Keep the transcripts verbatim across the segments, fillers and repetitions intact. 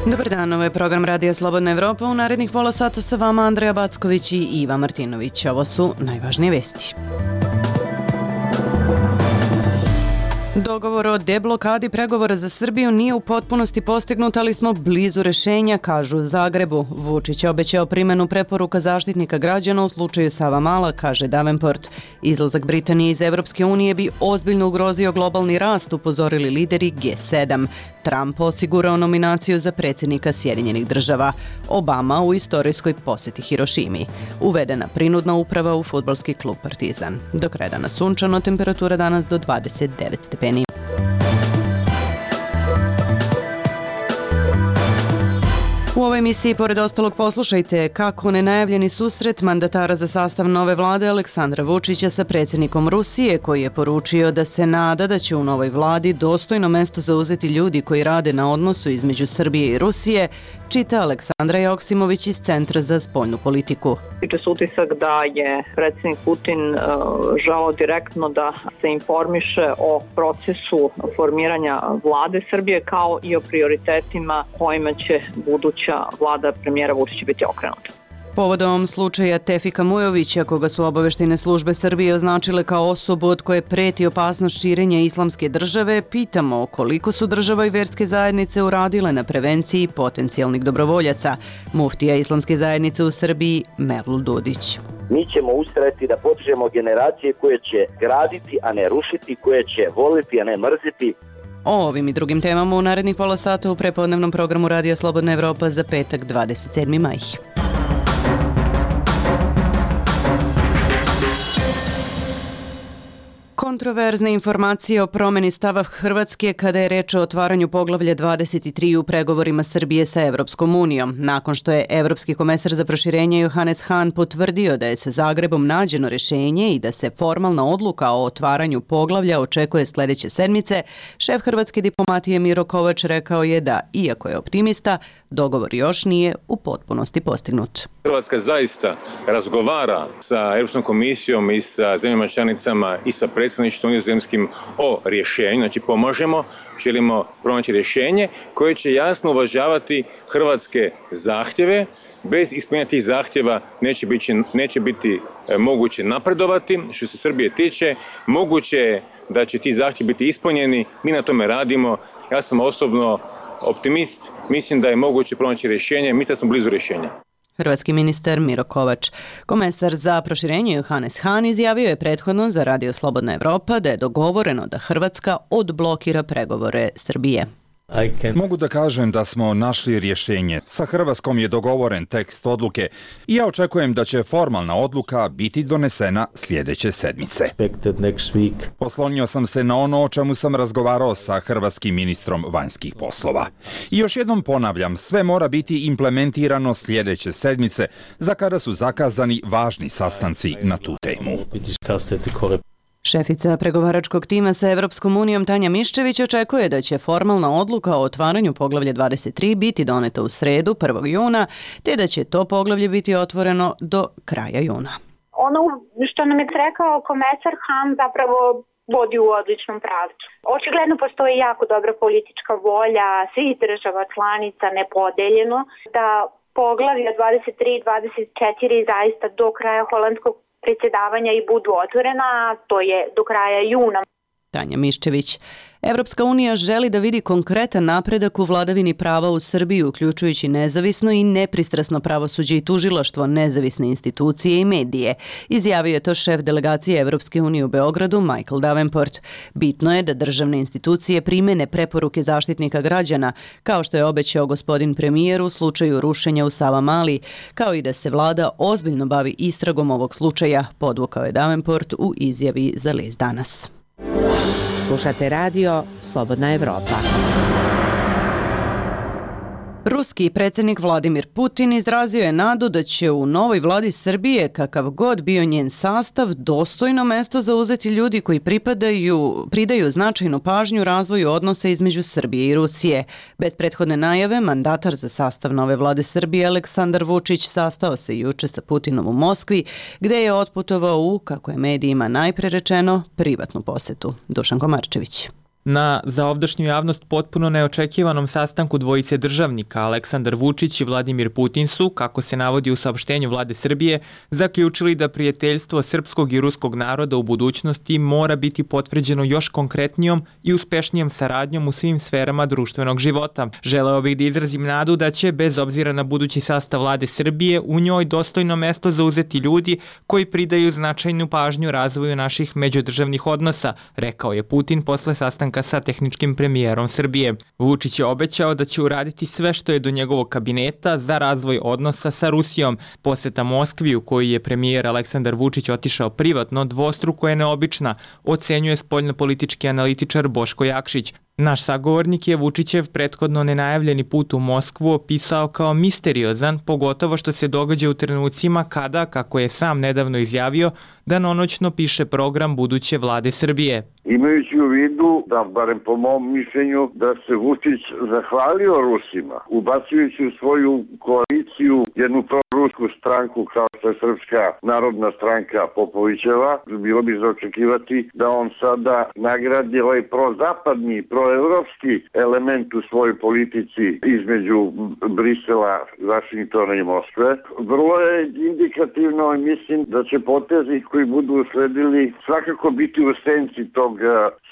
Dobar dan, ovo je program Radija Slobodna Evropa. U narednih pola sata sa vama Andreja Backović i Iva Martinović. Ovo su najvažnije vesti. Dogovor o deblokadi pregovora za Srbiju nije u potpunosti postignut, ali smo blizu rešenja, kažu u Zagrebu. Vučić je obećao primjenu preporuka Zaštitnika građana u slučaju Savamala, kaže Davenport. Izlazak Britanije iz Evropske unije bi ozbiljno ugrozio globalni rast, upozorili lideri G sedam. Trump osigurao nominaciju za predsjednika Sjedinjenih država. Obama u istorijskoj posjeti Hirošimi. Uvedena prinudna uprava u fudbalski klub Partizan. Do kraja dana sunčano, temperatura danas do dvadeset devet stepeni. U ovoj emisiji, pored ostalog, poslušajte kako nenajavljeni susret mandatara za sastav nove vlade Aleksandra Vučića sa predsjednikom Rusije, koji je poručio da se nada da će u novoj vladi dostojno mesto zauzeti ljudi koji rade na odnosu između Srbije i Rusije, čita Aleksandra Joksimović iz Centra za spoljnu politiku. Tiče se utisak da je predsjednik Putin uh, želeo direktno da se informiše o procesu formiranja vlade Srbije kao i o prioritetima kojima će buduća vlada premijera Vučića biti okrenuta. Povodom slučaja Tefika Mujovića, koga su obaveštene službe Srbije označile kao osobu od koje preti opasnost širenja islamske države, pitamo koliko su država i verske zajednice uradile na prevenciji potencijalnih dobrovoljaca. Muftija islamske zajednice u Srbiji Mevlud Dudić. Mi ćemo ustrajati da podižemo generacije koje će graditi, a ne rušiti, koje će voliti, a ne mrziti. O ovim i drugim temama u narednih pola sata u prepodnevnom programu Radija Slobodna Evropa za petak dvadeset sedmi maj. Kontroverzne informacije o promjeni stava Hrvatske kada je reč o otvaranju poglavlja dvadeset tri u pregovorima Srbije sa Evropskom unijom. Nakon što je Evropski komesar za proširenje Johannes Hahn potvrdio da je sa Zagrebom nađeno rješenje i da se formalna odluka o otvaranju poglavlja očekuje sljedeće sedmice, šef hrvatske diplomatije Miro Kovač rekao je da, iako je optimista, dogovor još nije u potpunosti postignut. Hrvatska zaista razgovara sa Europskom komisijom i sa zemljama članicama i sa predsjedništvom nizozemskim o rješenju, znači pomožemo, želimo pronaći rješenje koje će jasno uvažavati hrvatske zahtjeve. Bez ispunjenja tih zahtjeva neće biti, neće biti e, moguće napredovati. Što se Srbije tiče, moguće je da će ti zahtjevi biti ispunjeni, mi na tome radimo. Ja sam osobno optimist, mislim da je moguće pronaći rješenje, mislim da smo blizu rješenja. Hrvatski ministar Miro Kovač. Komesar za proširenje Johannes Hahn izjavio je prethodno za Radio Slobodna Evropa da je dogovoreno da Hrvatska odblokira pregovore Srbije. Mogu da kažem da smo našli rješenje. Sa Hrvatskom je dogovoren tekst odluke i ja očekujem da će formalna odluka biti donesena sljedeće sedmice. Oslonio sam se na ono o čemu sam razgovarao sa hrvatskim ministrom vanjskih poslova. I još jednom ponavljam, sve mora biti implementirano sljedeće sedmice, za kada su zakazani važni sastanci na tu temu. Šefica pregovaračkog tima sa Evropskom unijom Tanja Miščević očekuje da će formalna odluka o otvaranju poglavlja dvadeset tri biti doneta u sredu prvog juna, te da će to poglavlje biti otvoreno do kraja juna. Ono što nam je rekao komesar Hahn zapravo vodi u odličnom pravcu. Očigledno postoji jako dobra politička volja svih država članica nepodeljeno da poglavlja dvadeset tri i dvadeset četiri zaista do kraja holandskog predsjedavanja i budu otvorena, to je do kraja juna. Tanja Miščević. Evropska unija želi da vidi konkretan napredak u vladavini prava u Srbiji, uključujući nezavisno i nepristrasno pravosuđe i tužilaštvo, nezavisne institucije i medije. Izjavio je to šef delegacije Evropske unije u Beogradu, Michael Davenport. Bitno je da državne institucije primene preporuke Zaštitnika građana, kao što je obećao gospodin premijer u slučaju rušenja u Savamali, kao i da se vlada ozbiljno bavi istragom ovog slučaja, podvukao je Davenport u izjavi za list Danas. Slušate radio Slobodna Evropa. Ruski predsjednik Vladimir Putin izrazio je nadu da će u novoj vladi Srbije, kakav god bio njen sastav, dostojno mesto zauzeti ljudi koji pripadaju, pridaju značajnu pažnju razvoju odnosa između Srbije i Rusije. Bez prethodne najave, mandatar za sastav nove vlade Srbije Aleksandar Vučić sastao se juče sa Putinom u Moskvi, gde je otputovao u, kako je medijima najpre rečeno, privatnu posetu. Dušan Komarčević. Na zaovdašnju javnost potpuno neočekivanom sastanku dvojice državnika Aleksandar Vučić i Vladimir Putin su, kako se navodi u saopštenju vlade Srbije, zaključili da prijateljstvo srpskog i ruskog naroda u budućnosti mora biti potvrđeno još konkretnijom i uspešnijom saradnjom u svim sferama društvenog života. Želeo bih da izrazim nadu da će, bez obzira na budući sastav vlade Srbije, u njoj dostojno mesto zauzeti ljudi koji pridaju značajnu pažnju razvoju naših međudržavnih odnosa, rekao je Putin posle sastanka sa tehničkim premijerom Srbije. Vučić je obećao da će uraditi sve što je do njegovog kabineta za razvoj odnosa sa Rusijom. Poseta Moskvi, u kojoj je premijer Aleksandar Vučić otišao privatno, dvostruko je neobična, ocenjuje spoljnopolitički analitičar Boško Jakšić. Naš sagovornik je Vučićev prethodno nenajavljeni put u Moskvu opisao kao misteriozan, pogotovo što se događa u trenucima kada, kako je sam nedavno izjavio, danonoćno piše program buduće vlade Srbije. Imajući u vidu, da barem po mom mišljenju, da se Vučić zahvalio Rusima, ubacujući u svoju koaliciju jednu prorusku stranku kao što je Srpska narodna stranka Popovićeva, bilo bi za očekivati da on sada nagradi ovaj prozapadni, proevropski element u svojoj politici između Brisela, Vašingtona i Moskve. Vrlo je indikativno i mislim da će potezi koji budu usledili svakako biti u senci tog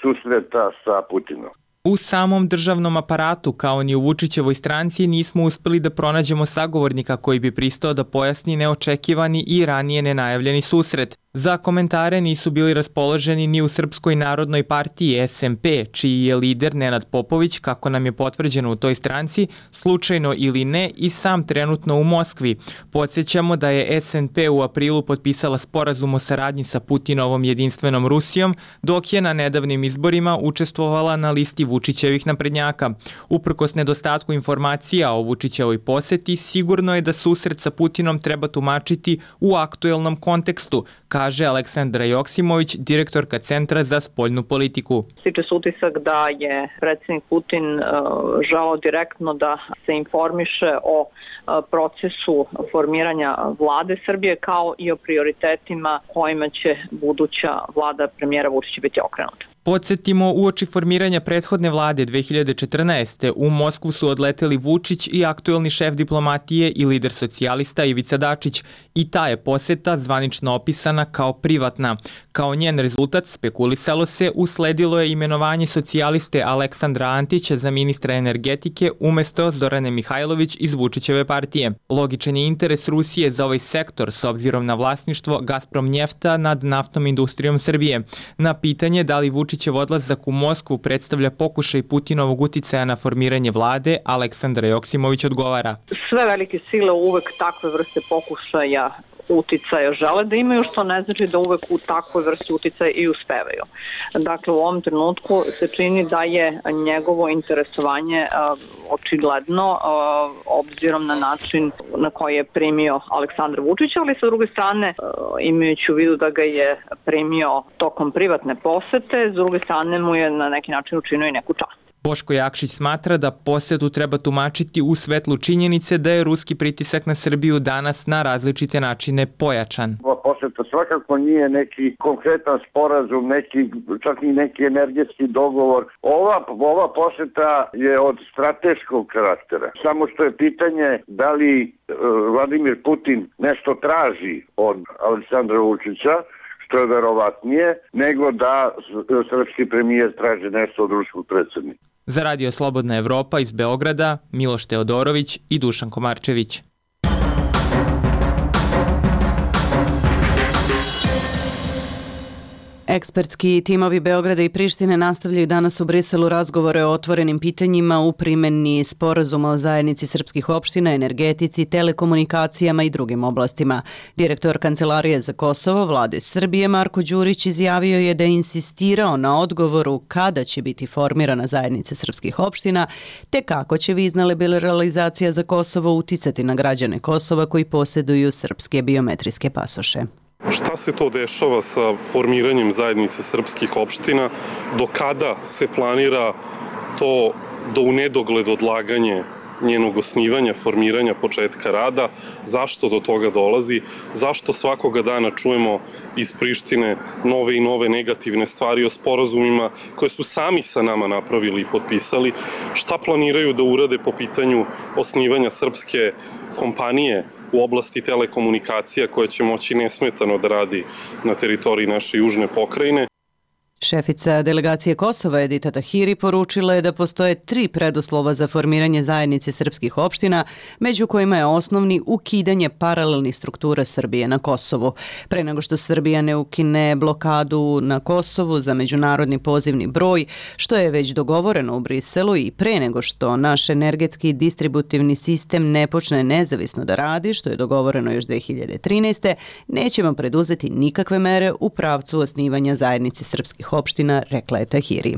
susreta sa Putinom. U samom državnom aparatu, kao ni u Vučićevoj stranci, nismo uspeli da pronađemo sagovornika koji bi pristao da pojasni neočekivani i ranije nenajavljeni susret. Za komentare nisu bili raspoloženi ni u Srpskoj narodnoj partiji S M P, čiji je lider Nenad Popović, kako nam je potvrđeno u toj stranci, slučajno ili ne, i sam trenutno u Moskvi. Podsjećamo da je S N P u aprilu potpisala sporazum o saradnji sa Putinovom jedinstvenom Rusijom, dok je na nedavnim izborima učestvovala na listi Vučićevih naprednjaka. Uprkos nedostatku informacija o Vučićevoj poseti, sigurno je da susret sa Putinom treba tumačiti u aktuelnom kontekstu, kaže Aleksandra Joksimović, direktorka Centra za spoljnu politiku. Stiče se utisak da je predsjednik Putin uh, želeo direktno da se informiše o uh, procesu formiranja vlade Srbije kao i o prioritetima kojima će buduća vlada premijera Vučića biti okrenuta. Podsjetimo, uoči formiranja prethodne vlade dve hiljade četrnaeste. u Moskvu su odleteli Vučić i aktuelni šef diplomatije i lider socijalista Ivica Dačić, i ta je poseta zvanično opisana kao privatna. Kao njen rezultat, spekulisalo se, usledilo je imenovanje socijaliste Aleksandra Antića za ministra energetike umesto Zorane Mihajlović iz Vučićeve partije. Logičan je interes Rusije za ovaj sektor s obzirom na vlasništvo Gazprom njefta nad naftnom industrijom Srbije. Na pitanje da li Vučićev odlazak u Moskvu predstavlja pokušaj Putinovog uticaja na formiranje vlade, Aleksandra Joksimović odgovara. Sve velike sile uvek takve vrste pokušaja uticaja žele da imaju, što ne znači da uvek u takvoj vrsti uticaja i uspevaju. Dakle, u ovom trenutku se čini da je njegovo interesovanje uh, očigledno uh, obzirom na način na koji je primio Aleksandar Vučić, ali sa druge strane uh, imajući u vidu da ga je primio tokom privatne posete, s druge strane mu je na neki način učinio i neku čast. Boško Jakšić smatra da posetu treba tumačiti u svetlu činjenice da je ruski pritisak na Srbiju danas na različite načine pojačan. Ova poseta svakako nije neki konkretan sporazum, neki, čak i neki energetski dogovor. Ova, ova poseta je od strateškog karaktera. Samo što je pitanje da li uh, Vladimir Putin nešto traži od Aleksandra Vučića, što je verovatnije, nego da srpski premijer traži nešto od ruskog predsjednika. Za Radio Slobodna Evropa iz Beograda, Miloš Teodorović i Dušan Komarčević. Ekspertski timovi Beograda i Prištine nastavljaju danas u Briselu razgovore o otvorenim pitanjima u primjeni sporazuma o zajednici srpskih opština, energetici, telekomunikacijama i drugim oblastima. Direktor Kancelarije za Kosovo vlade Srbije Marko Đurić izjavio je da je insistirao na odgovoru kada će biti formirana zajednica srpskih opština, te kako će vizna liberalizacija za Kosovo uticati na građane Kosova koji posjeduju srpske biometrijske pasoše. Šta se to dešava sa formiranjem zajednice srpskih opština? Do kada se planira to do u nedogled odlaganje njenog osnivanja, formiranja, početka rada? Zašto do toga dolazi? Zašto svakoga dana čujemo iz Prištine nove i nove negativne stvari o sporazumima koje su sami sa nama napravili i potpisali? Šta planiraju da urade po pitanju osnivanja srpske kompanije u oblasti telekomunikacija koja će moći nesmetano da radi na teritoriji naše južne pokrajine? Šefica delegacije Kosova Edita Tahiri poručila je da postoje tri preduslova za formiranje zajednice srpskih opština, među kojima je osnovni ukidanje paralelnih struktura Srbije na Kosovu. Pre nego što Srbija ne ukine blokadu na Kosovu za međunarodni pozivni broj, što je već dogovoreno u Briselu, i pre nego što naš energetski distributivni sistem ne počne nezavisno da radi, što je dogovoreno još dve hiljade trinaeste. nećemo preduzeti nikakve mere u pravcu osnivanja zajednice srpskih opština, rekla je Tahiri.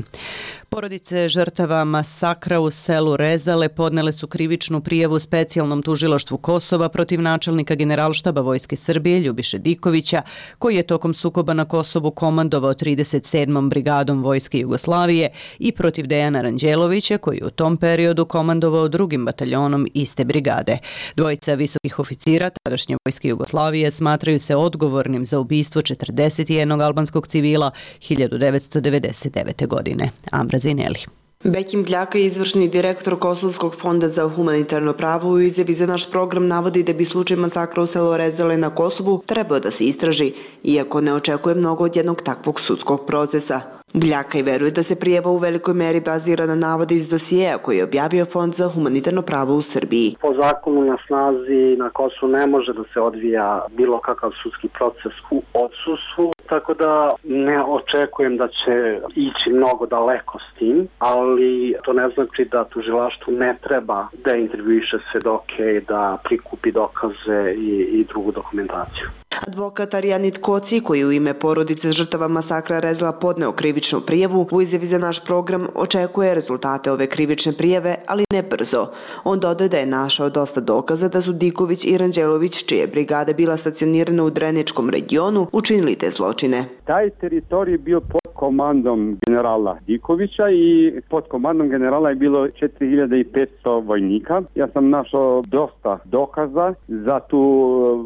Porodice žrtava masakra u selu Rezale podnele su krivičnu prijavu specijalnom tužilaštvu Kosova protiv načelnika Generalštaba Vojske Srbije Ljubiše Dikovića, koji je tokom sukoba na Kosovu komandovao trideset sedmom brigadom Vojske Jugoslavije, i protiv Dejana Ranđelovića, koji je u tom periodu komandovao drugim bataljonom iste brigade. Dvojica visokih oficira tadašnje Vojske Jugoslavije smatraju se odgovornim za ubistvo četrdeset jednog albanskog civila hiljadu devetsto devedeset devete. godine. Ambra Zineli. Bekim Bljaka, izvršni direktor Kosovskog fonda za humanitarno pravo, u izjavi za naš program navodi da bi slučaj masakra u selu Rezale na Kosovu trebao da se istraži, iako ne očekuje mnogo od jednog takvog sudskog procesa. Bljaka i veruje da se prijava u velikoj meri bazira na navode iz dosijeja koji je objavio Fond za humanitarno pravo u Srbiji. Po zakonu na snazi na Kosovu ne može da se odvija bilo kakav sudski proces u odsustvu, tako da ne očekujem da će ići mnogo daleko s tim, ali to ne znači da tužilaštvu ne treba da intervjuiše svedoke i da prikupi dokaze i, i drugu dokumentaciju. Advokat Arijanit Koci, koji u ime porodice žrtava masakra Rezala podneo krivičnu prijavu, u izjavi za naš program očekuje rezultate ove krivične prijave, ali ne brzo. On dodaje da je našao dosta dokaza da su Diković i Ranđelović, čije brigade bila stacionirana u Dreničkom regionu, učinili te zločine. Taj teritorij je bio pod komandom generala Dikovića i pod komandom generala je bilo četiri hiljade petsto vojnika. Ja sam našao dosta dokaza za tu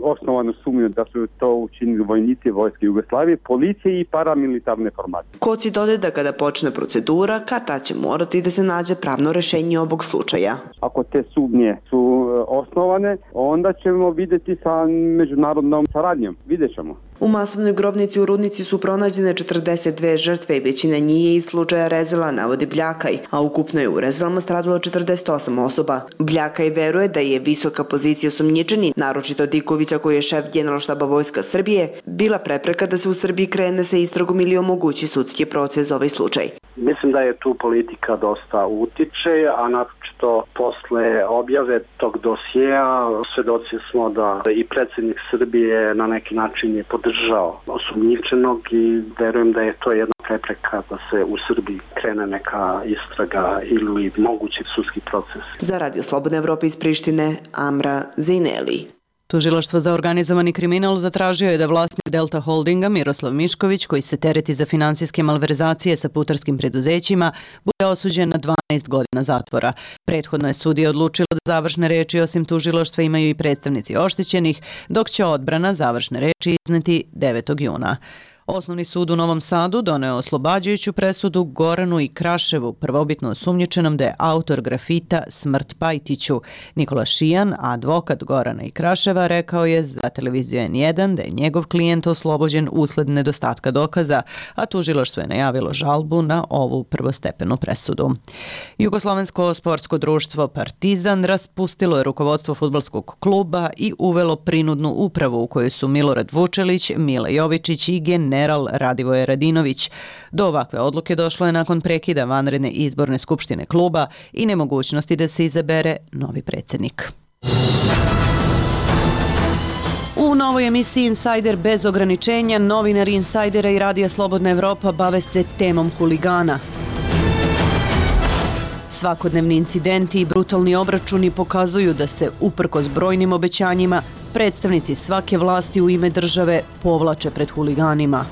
osnovanu sumnju da su to učinili vojnici Vojske Jugoslavije, policije i paramilitarne formacije. Koci dodaje da kada počne procedura, kada će morati da se nađe pravno rešenje ovog slučaja. Ako te sumnje su osnovane, onda ćemo vidjeti sa međunarodnom saradnjom. Vidjet ćemo. U masovnoj grobnici u Rudnici su pronađene četrdeset dve žrtve i većina njih je iz slučaja Rezala, navodi Bljakaj, a ukupno je u Rezalama stradalo četrdeset osam osoba. Bljakaj veruje da je visoka pozicija osumnjičeni, naročito Dikovića koji je šef Generalštaba Vojska Srbije, bila prepreka da se u Srbiji krene sa istragom ili omogući sudski proces za ovaj slučaj. Mislim da je tu politika dosta utiče, a naročito posle objave tog dosijeja svedoci smo da i predsjednik Srbije na neki način je podržao osumnjičenog i verujem da je to jedna prepreka da se u Srbiji krene neka istraga ili mogući sudski proces. Za Radio Slobodne Evrope iz Prištine, Amra Zineli. Tužilaštvo za organizovani kriminal zatražio je da vlasnik Delta Holdinga Miroslav Mišković, koji se tereti za finansijske malverzacije sa putarskim preduzećima, bude osuđen na dvanaest godina zatvora. Prethodno je sudija odlučila da završne reči osim tužilaštva imaju i predstavnici oštećenih, dok će odbrana završne reči izneti devetog juna. Osnovni sud u Novom Sadu doneo oslobađajuću presudu Goranu i Kraševu, prvobitno osumnjičenom da je autor grafita Smrt Pajtiću. Nikola Šijan, advokat Gorana i Kraševa, rekao je za televiziju en jedan da je njegov klijent oslobođen usled nedostatka dokaza, a tužilaštvo je najavilo žalbu na ovu prvostepenu presudu. Jugoslovensko sportsko društvo Partizan raspustilo je rukovodstvo fudbalskog kluba i uvelo prinudnu upravu u kojoj su Milorad Vučelić, Mila Jovičić i Gen general Radivoje Radinović. Do ovakve odluke došlo je nakon prekida vanredne izborne skupštine kluba i nemogućnosti da se izabere novi predsjednik. U novoj emisiji Insider bez ograničenja novinari Insajdera i Radija Slobodna Evropa bave se temom huligana. Svakodnevni incidenti i brutalni obračuni pokazuju da se, uprkos brojnim obećanjima, predstavnici svake vlasti u ime države povlače pred huliganima.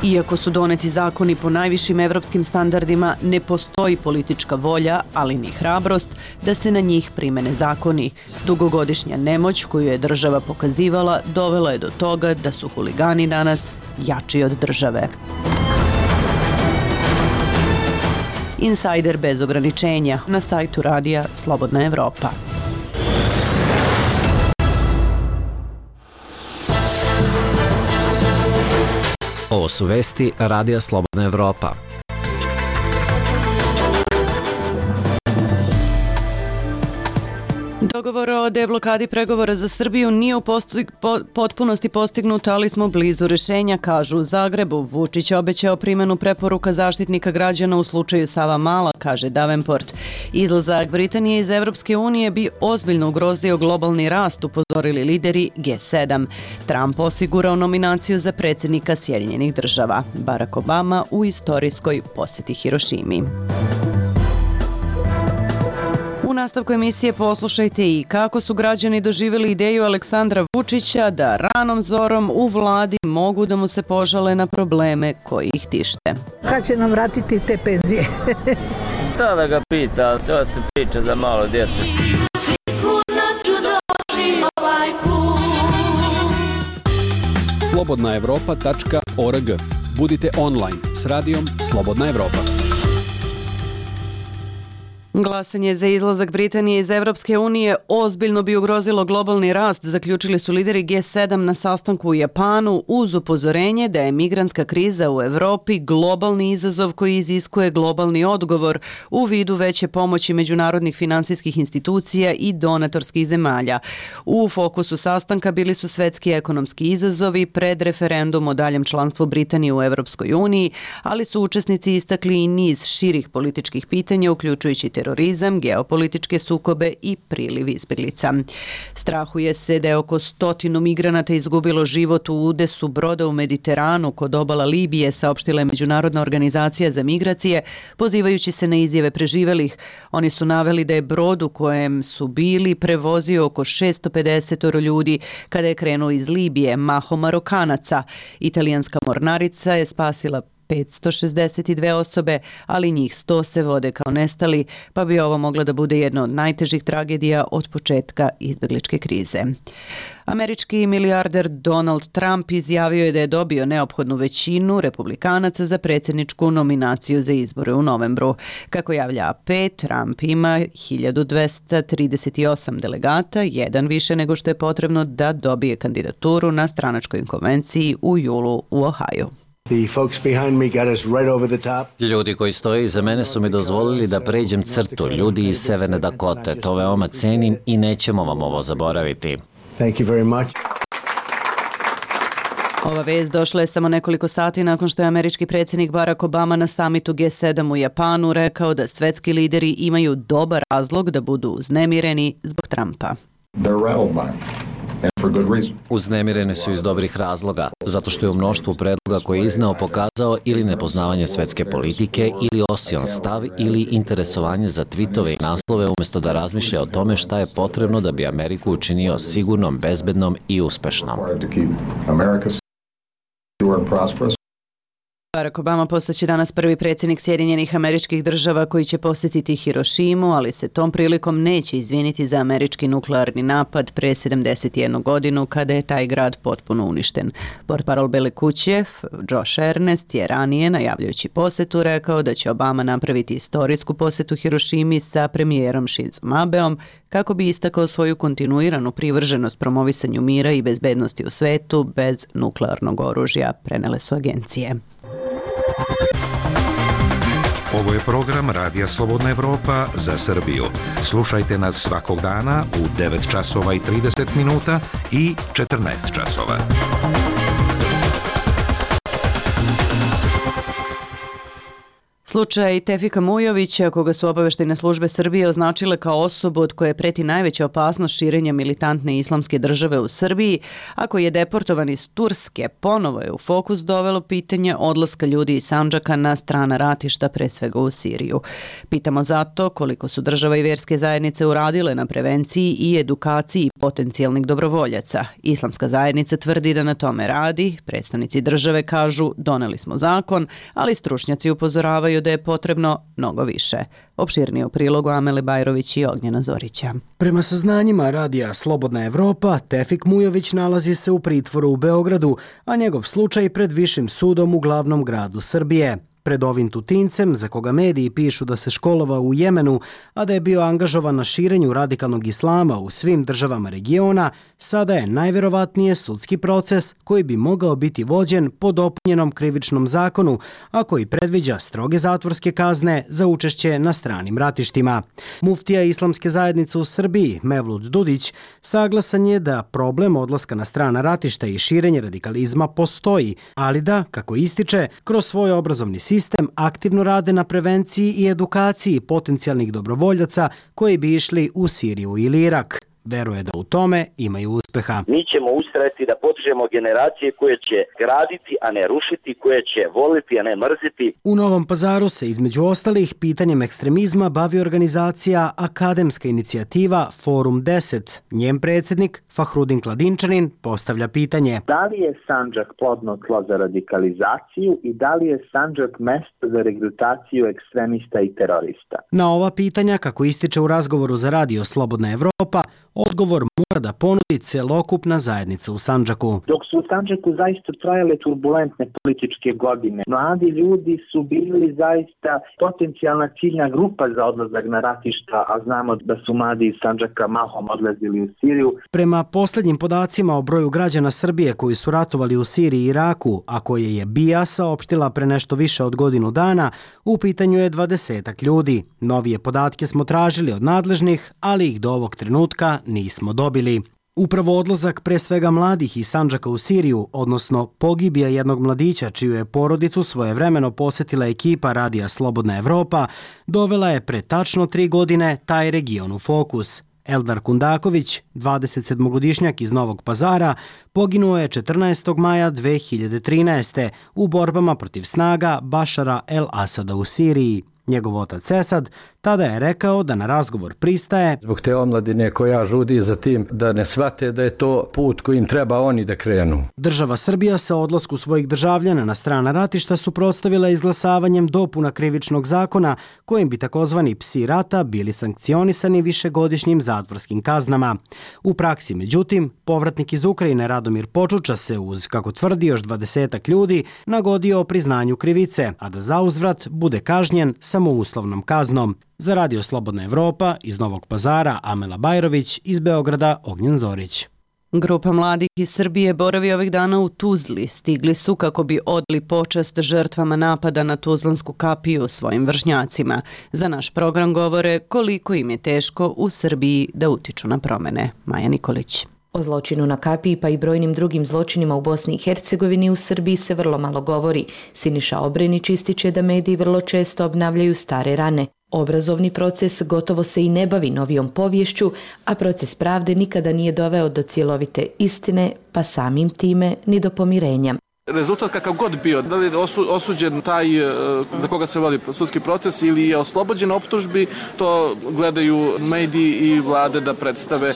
Iako su doneti zakoni po najvišim evropskim standardima, ne postoji politička volja, ali ni hrabrost, da se na njih primene zakoni. Dugogodišnja nemoć koju je država pokazivala dovela je do toga da su huligani danas jači od države. Insider bez ograničenja na sajtu Radija Slobodna Evropa. Ovo su vesti Radija Slobodna Evropa. Dogovor o deblokadi pregovora za Srbiju nije u posti, po, potpunosti postignut, ali smo blizu rešenja, kažu u Zagrebu. Vučić je obećao primjenu preporuka zaštitnika građana u slučaju Savamala, kaže Davenport. Izlazak Britanije iz Evropske unije bi ozbiljno ugrozio globalni rast, upozorili lideri G sedam. Trump osigurao nominaciju za predsjednika Sjedinjenih država. Barack Obama u istorijskoj posjeti Hirošimi. U nastavku emisije poslušajte i kako su građani doživjeli ideju Aleksandra Vučića da ranom zorom u vladi mogu da mu se požale na probleme koji ih tište. Kad će nam vratiti te penzije? To da ga pita, to se priča za malo djece. slobodna evropa tačka org. Budite online s radijom Slobodna Evropa. Glasanje za izlazak Britanije iz Evropske unije ozbiljno bi ugrozilo globalni rast, zaključili su lideri G sedam na sastanku u Japanu uz upozorenje da je migrantska kriza u Evropi globalni izazov koji iziskuje globalni odgovor u vidu veće pomoći međunarodnih finansijskih institucija i donatorskih zemalja. U fokusu sastanka bili su svetski ekonomski izazovi pred referendum o daljem članstvu Britanije u Evropskoj uniji, ali su učesnici istakli i niz širih političkih pitanja, uključujući terorizam, geopolitičke sukobe i priliv izbjeglica. Strahuje se da je oko stotinu migranata izgubilo život u udesu broda u Mediteranu kod obala Libije, saopštila je Međunarodna organizacija za migracije, pozivajući se na izjave preživelih. Oni su naveli da je brod u kojem su bili prevozio oko šesto pedeset ljudi kada je krenuo iz Libije, mahom Marokanaca. Italijanska mornarica je spasila petsto šezdeset dve osobe, ali njih sto se vode kao nestali, pa bi ovo mogla da bude jedna od najtežih tragedija od početka izbjegličke krize. Američki milijarder Donald Trump izjavio je da je dobio neophodnu većinu republikanaca za predsjedničku nominaciju za izbore u novembru. Kako javlja A P, Trump ima hiljadu dvesta trideset osam delegata, jedan više nego što je potrebno da dobije kandidaturu na stranačkoj konvenciji u julu u Ohaju. Ljudi koji stoje iza mene su mi dozvolili da pređem crtu, ljudi iz Severne Dakote. To veoma cenim i nećemo vam ovo zaboraviti. Thank you very much. Ova vest došla je samo nekoliko sati nakon što je američki predsjednik Barack Obama na samitu G sedam u Japanu rekao da svetski lideri imaju dobar razlog da budu uznemireni zbog Trumpa. Uznemireni su iz dobrih razloga, zato što je u mnoštvu predloga koje je izneo pokazao ili nepoznavanje svetske politike, ili osion stav, ili interesovanje za tvitove i naslove umjesto da razmišlja o tome šta je potrebno da bi Ameriku učinio sigurnom, bezbednom i uspešnom. Barack Obama postaće danas prvi predsjednik Sjedinjenih Američkih Država koji će posjetiti Hirošimu, ali se tom prilikom neće izviniti za američki nuklearni napad pre sedamdeset jednu godinu kada je taj grad potpuno uništen. Portparol Bele kuće Josh Earnest je ranije, najavljujući posjetu, rekao da će Obama napraviti istorijsku posjetu Hirošimi sa premijerom Shinzom Abeom kako bi istakao svoju kontinuiranu privrženost promovisanju mira i bezbednosti u svetu bez nuklearnog oružja, prenele su agencije. Ovo je program Radija Slobodna Evropa za Srbiju. Slušajte nas svakog dana u devet časova i trideset minuta i četrnaest časova. Slučaj Tefika Mujovića, koga su obaveštajne službe Srbije označile kao osobu od koje preti najveća opasnost širenja militantne islamske države u Srbiji, ako je deportovan iz Turske, ponovo je u fokus dovelo pitanje odlaska ljudi iz Sandžaka na strana ratišta, pre svega u Siriju. Pitamo zato koliko su država i vjerske zajednice uradile na prevenciji i edukaciji potencijalnih dobrovoljaca. Islamska zajednica tvrdi da na tome radi, predstavnici države kažu doneli smo zakon, ali stručnjaci upozoravaju da je potrebno mnogo više. Opširnije u prilogu Amele Bajrović i Ognjena Zorića. Prema saznanjima Radija Slobodna Evropa, Tefik Mujović nalazi se u pritvoru u Beogradu, a njegov slučaj pred višim sudom u glavnom gradu Srbije. Pred ovim Tutincem, za koga mediji pišu da se školovao u Jemenu, a da je bio angažovan na širenju radikalnog islama u svim državama regiona, sada je najverovatnije sudski proces koji bi mogao biti vođen po dopunjenom krivičnom zakonu, a koji predviđa stroge zatvorske kazne za učešće na stranim ratištima. Muftija Islamske zajednice u Srbiji, Mevlut Dudić, saglasan je da problem odlaska na strana ratišta i širenje radikalizma postoji, ali da, kako ističe, kroz svoj obrazovni sistem sistem aktivno rade na prevenciji i edukaciji potencijalnih dobrovoljaca koji bi išli u Siriju ili Irak. Veruje da u tome imaju uspeha. Mi ćemo ustrajati da podižemo generacije koje će graditi, a ne rušiti, koje će voliti, a ne mrziti. U Novom Pazaru se između ostalih pitanjem ekstremizma bavi organizacija Akademska inicijativa Forum deset. Njen predsjednik Fahrudin Kladinčanin postavlja pitanje. Da li je Sandžak plodno tlo za radikalizaciju i da li je Sandžak mesto za regrutaciju ekstremista i terorista? Na ova pitanja, kako ističe u razgovoru za Radio Slobodna Evropa, odgovor mora da ponudi celokupna zajednica u Sandžaku. Dok su u Sandžaku zaista trajale turbulentne političke godine, mladi ljudi su bili zaista potencijalna ciljna grupa za odlazak na ratišta, a znamo da su mladi iz Sandžaka mahom odlazili u Siriju. Prema posljednjim podacima o broju građana Srbije koji su ratovali u Siriji i Iraku, a koje je B I A saopštila pre nešto više od godinu dana, u pitanju je dvadesetak ljudi. Novije podatke smo tražili od nadležnih, ali ih do ovog trenutka nismo dobili. Upravo odlazak pre svega mladih iz Sandžaka u Siriju, odnosno pogibija jednog mladića čiju je porodicu svojevremeno posjetila ekipa Radija Slobodna Evropa, dovela je pre tačno tri godine taj region u fokus. Eldar Kundaković, dvadesetsedmogodišnjak iz Novog Pazara, poginuo je četrnaestog maja dve hiljade trinaeste. u borbama protiv snaga Bašara el-Asada u Siriji. Njegov otac Esad tada je rekao da na razgovor pristaje zbog te omladine koja žudi za tim da ne shvate da je to put kojim treba oni da krenu. Država Srbija sa odlasku svojih državljana na strana ratišta suprotstavila izglasavanjem dopuna krivičnog zakona kojim bi takozvani psi rata bili sankcionisani višegodišnjim zatvorskim kaznama. U praksi, međutim, povratnik iz Ukrajine Radomir Počuča se uz, kako tvrdi, još dvadesetak ljudi nagodio o priznanju krivice, a da zauzvrat bude kažnjen samouslovnom kaznom. Za Radio Slobodna Evropa iz Novog Pazara Amela Bajrović, iz Beograda Ognjen Zorić. Grupa mladih iz Srbije boravi ovih dana u Tuzli. Stigli su kako bi odali počast žrtvama napada na Tuzlansku kapiju svojim vršnjacima. Za naš program govore koliko im je teško u Srbiji da utiču na promene. Maja Nikolić. O zločinu na kapiji pa i brojnim drugim zločinima u Bosni i Hercegovini u Srbiji se vrlo malo govori. Siniša Obrenić ističe da mediji vrlo često obnavljaju stare rane. Obrazovni proces gotovo se i ne bavi novijom poviješću, a proces pravde nikada nije doveo do cjelovite istine, pa samim time ni do pomirenja. Rezultat kakav god bio, da li je osuđen taj za koga se vodi sudski proces ili je oslobođen optužbi, to gledaju mediji i vlade da predstave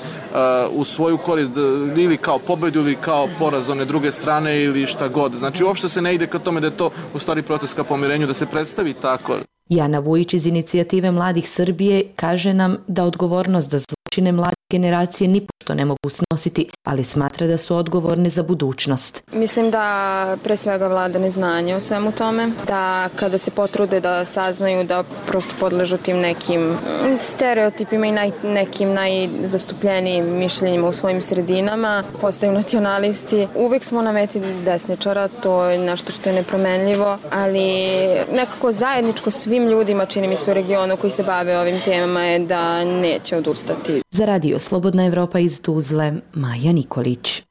u svoju korist ili kao pobedu ili kao poraz one druge strane ili šta god. Znači uopšte se ne ide ka tome da je to u stvari proces ka pomirenju, da se predstavi tako. Jana Vujić iz inicijative Mladih Srbije kaže nam da odgovornost za zločine mladih generacije ni pošto ne mogu snositi, ali smatra da su odgovorne za budućnost. Mislim da pre svega vlada neznanje o svemu tome, da kada se potrude da saznaju da prosto podležu tim nekim stereotipima i naj, nekim najzastupljenijim mišljenjima u svojim sredinama, postaju nacionalisti. Uvijek smo na meti desničara, to je nešto što je nepromenljivo, ali nekako zajedničko svim ljudima, čini mi se u regionu koji se bave ovim temama, je da neće odustati. Za Radio Slobodna Evropa iz Tuzle, Maja Nikolić.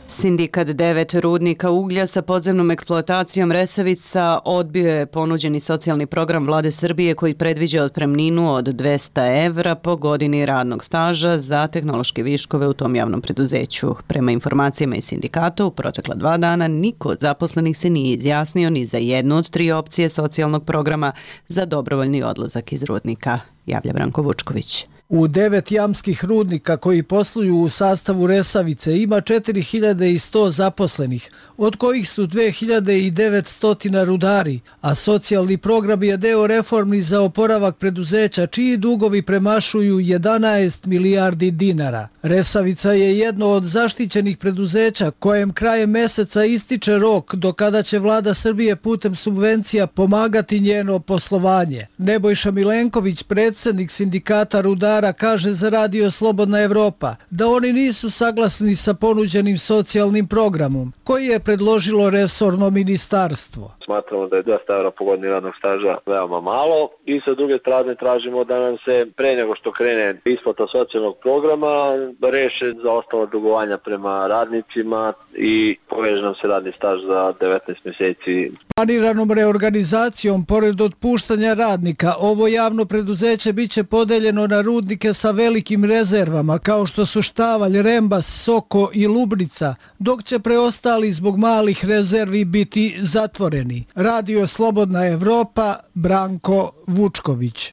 Sindikat devet rudnika uglja sa podzemnom eksploatacijom Resavica odbio je ponuđeni socijalni program Vlade Srbije koji predviđa otpremninu od dvesta evra po godini radnog staža za tehnološke viškove u tom javnom preduzeću. Prema informacijama iz sindikata, u protekla dva dana niko od zaposlenih se nije izjasnio ni za jednu od tri opcije socijalnog programa za dobrovoljni odlazak iz rudnika, javlja Branko Vučković. U devet jamskih rudnika koji posluju u sastavu Resavice ima četiri hiljade sto zaposlenih, od kojih su dve hiljade devetsto rudari, a socijalni program je deo reformi za oporavak preduzeća čiji dugovi premašuju jedanaest milijardi dinara. Resavica je jedno od zaštićenih preduzeća kojem krajem meseca ističe rok do kada će vlada Srbije putem subvencija pomagati njeno poslovanje. Nebojša Milenković, predsjednik sindikata rudara, kaže za Radio Slobodna Evropa da oni nisu saglasni sa ponuđenim socijalnim programom koji je predložilo resorno ministarstvo. Smatramo da je dvesta evra po godini radnog staža veoma malo i sa druge strane tražimo da nam se pre nego što krene isplata socijalnog programa da reše zaostala dugovanja prema radnicima i poveže nam se radni staž za devetnaest mjeseci. Planiranom reorganizacijom, pored otpuštanja radnika, ovo javno preduzeće biće podeljeno na rudnike sa velikim rezervama kao što su Štavalj, Rembas, Soko i Lubnica, dok će preostali zbog malih rezervi biti zatvoreni. Radio Slobodna Evropa, Branko Vučković.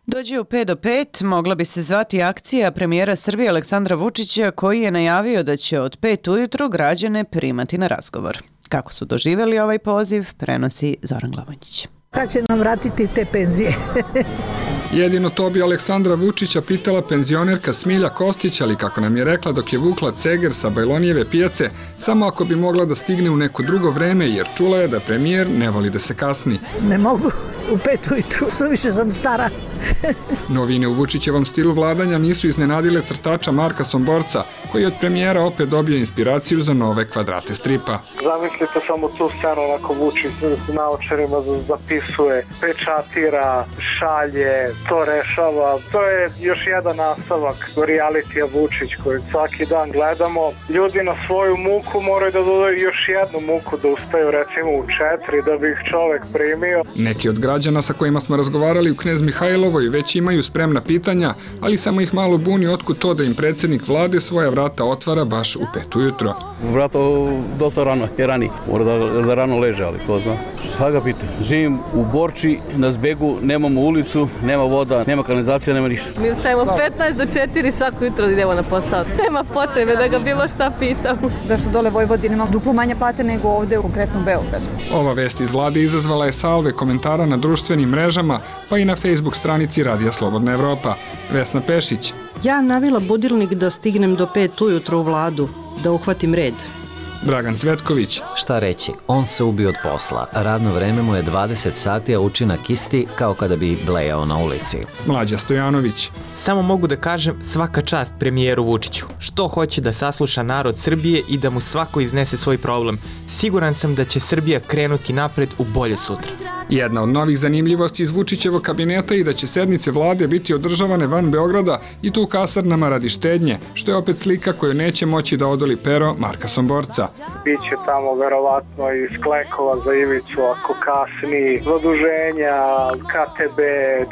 Dođe u pet do pet, mogla bi se zvati akcija premijera Srbije Aleksandra Vučića koji je najavio da će od pet ujutru građane primati na razgovor. Kako su doživjeli ovaj poziv, prenosi Zoran Glavonjić. Kad će nam vratiti te penzije? Jedino to bi Aleksandra Vučića pitala penzionerka Smilja Kostić, ali kako nam je rekla dok je vukla ceger sa Bajlonijeve pijace, samo ako bi mogla da stigne u neko drugo vreme, jer čula je da premijer ne voli da se kasni. Ne mogu u pet ujutru, suviše sam stara. Novine u Vučićevom stilu vladanja nisu iznenadile crtača Marka Somborca, koji je od premijera opet dobio inspiraciju za nove kvadrate stripa. Zamislite samo tu scenu, onako Vučić s naočarima zapisuje, pečatira, šalje, to rešava. To je još jedan nastavak realitija Vučić koji svaki dan gledamo. Ljudi na svoju muku moraju da dodaju još jednu muku da uspeju recimo u četiri da bi ih čovek primio. Neki od građana sa kojima smo razgovarali u Knez Mihajlovoj već imaju spremna pitanja, ali samo ih malo buni otkud to da im predsjednik vlade svoja vrata otvara baš u pet ujutro. Vrata dosta rano, je rani. Mora da, da rano leže, ali ko zna. Šta ga pita? Živim u Borči, na Zbegu, nemamo ulicu, nema voda, nema kanalizacija, nema ništa. Mi ustajemo petnaest do četiri svako jutro da idemo na posao. Nema potrebe da ga bilo šta pitam. Zašto dole Vojvodina ima duplo manje plate nego ovde u konkretnom Beogradu? Ova vest iz vlade izazvala je salve komentara na društvenim mrežama, pa i na Facebook stranici Radija Slobodna Evropa. Vesna Pešić. Ja navila budilnik da stignem do pet ujutro u vladu, da uhvatim red. Dragan Cvetković. Šta reći, on se ubio od posla. Radno vreme mu je dvadeset sati, a učinak isti kao kada bi blejao na ulici. Mlađa Stojanović. Samo mogu da kažem svaka čast premijeru Vučiću. Što hoće da sasluša narod Srbije i da mu svako iznese svoj problem. Siguran sam da će Srbija krenuti napred u bolje sutra. Jedna od novih zanimljivosti iz Vučićevog kabineta i da će sednice vlade biti održavane van Beograda i tu u kasarnama radi štednje, što je opet slika koju neće moći da odoli pero Marka Somborca. Biće tamo verovatno i sklekova za ivicu ako kasni, zaduženja, K T B,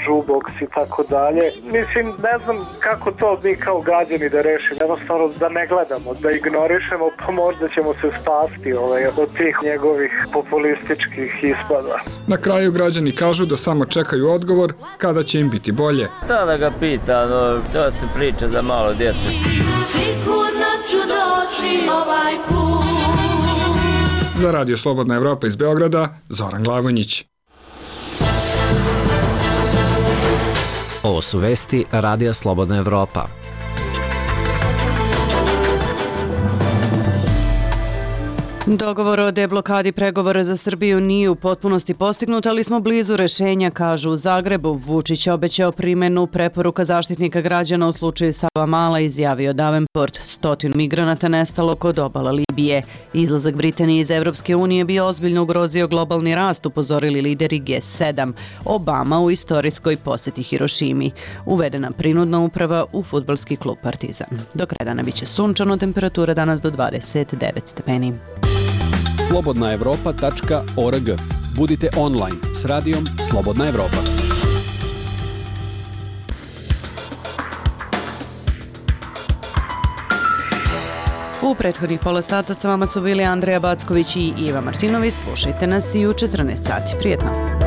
Džubox i tako dalje. Mislim, ne znam kako to mi kao građani da rešimo, jednostavno da ne gledamo, da ignorišemo, pa možda ćemo se spasti ovaj, od tih njegovih populističkih ispada. Na kraju građani kažu da samo čekaju odgovor kada će im biti bolje. Šta da ga pita, no, to se priča za malo djece. Sigurno ću doći ovaj put. Za Radio Slobodna Evropa iz Beograda, Zoran Glavonjić. Ovo su vesti Radija Slobodna Evropa. Dogovor o deblokadi pregovora za Srbiju nije u potpunosti postignut, ali smo blizu rešenja, kažu u Zagrebu. Vučić je obećao primenu preporuka zaštitnika građana u slučaju Savamala, izjavio Davenport. Stotinu migranata nestalo kod obala Libije. Izlazak Britanije iz Evropske unije bi ozbiljno ugrozio globalni rast, upozorili lideri G sedam. Obama u istorijskoj poseti Hirošimi. Uvedena prinudna uprava u fudbalski klub Partizan. Do kraja dana biće sunčano, temperatura danas do dvadeset devet stepeni. slobodna evropa tačka org. Budite online s radijom Slobodna Evropa. U prethodnih pola sata sa vama su bili Andreja Backović i Iva Martinović. Slušajte nas i u četrnaest sati. Prijetno!